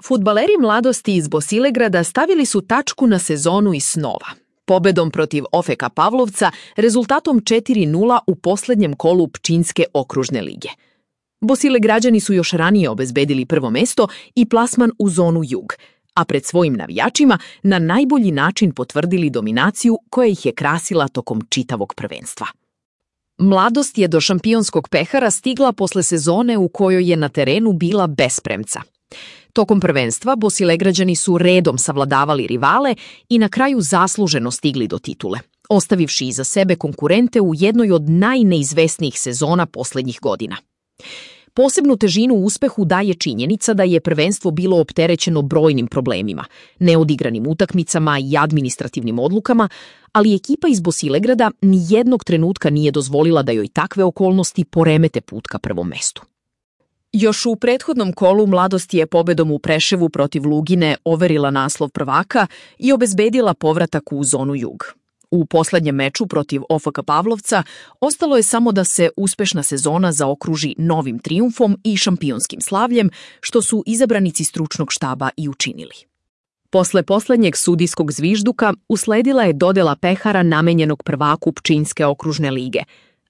Fudbaleri mladosti iz Bosilegrada stavili su tačku na sezonu iz snova. Pobedom protiv OFK Pavlovca rezultatom 4:0 u poslednjem kolu Pčinjske okružne lige. Bosilegrađani su još ranije obezbedili prvo mesto i plasman u zonu Jug, a pred svojim navijačima na najbolji način potvrdili dominaciju koja ih je krasila tokom čitavog prvenstva. Mladost je do šampionskog pehara stigla posle sezone u kojoj je na terenu bila bez premca. Tokom prvenstva Bosilegrađani su redom savladavali rivale i na kraju zasluženo stigli do titule, ostavivši iza sebe konkurente u jednoj od najneizvesnijih sezona poslednjih godina. Posebnu težinu uspehu daje činjenica da je prvenstvo bilo opterećeno brojnim problemima, neodigranim utakmicama i administrativnim odlukama, ali ekipa iz Bosilegrada nijednog trenutka nije dozvolila da joj takve okolnosti poremete put ka prvom mestu. Još u prethodnom kolu Mladost je pobedom u Preševu protiv Lugine overila naslov prvaka i obezbedila povratak u zonu Jug. U poslednjem meču protiv OFK Pavlovca ostalo je samo da se uspešna sezona zaokruži novim trijumfom i šampionskim slavljem, što su izabranici stručnog štaba i učinili. Posle poslednjeg sudijskog zvižduka usledila je dodela pehara namenjenog prvaku Pčinjske okružne lige,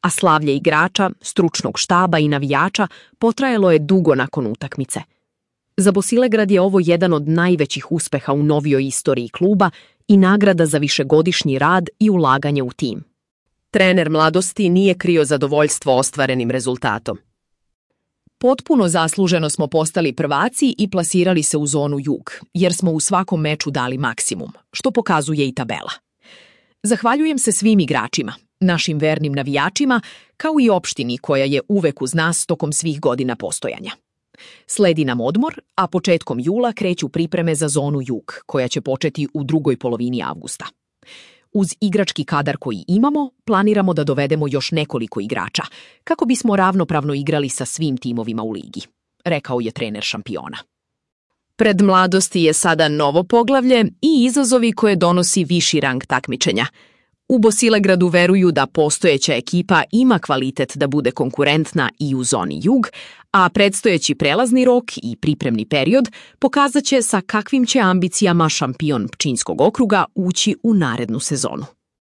a slavlje igrača, stručnog štaba i navijača potrajalo je dugo nakon utakmice. Za Bosilegrad je ovo jedan od najvećih uspeha u novijoj istoriji kluba i nagrada za višegodišnji rad i ulaganje u tim. Trener Mladosti nije krio zadovoljstvo ostvarenim rezultatom. Potpuno zasluženo smo postali prvaci i plasirali se u zonu Jug, jer smo u svakom meču dali maksimum, što pokazuje i tabela. Zahvaljujem se svim igračima, našim vernim navijačima, kao i opštini koja je uvek uz nas tokom svih godina postojanja. Sledi nam odmor, a početkom jula kreću pripreme za zonu Jug, koja će početi u drugoj polovini avgusta. Uz igrački kadar koji imamo, planiramo da dovedemo još nekoliko igrača, kako bismo ravnopravno igrali sa svim timovima u ligi, rekao je trener šampiona. Pred Mladosti je sada novo poglavlje i izazovi koje donosi viši rang takmičenja. U Bosilegradu veruju da postojeća ekipa ima kvalitet da bude konkurentna i u zoni Jug, a predstojeći prelazni rok i pripremni period pokazat će sa kakvim će ambicijama šampion Pčinjskog okruga ući u narednu sezonu.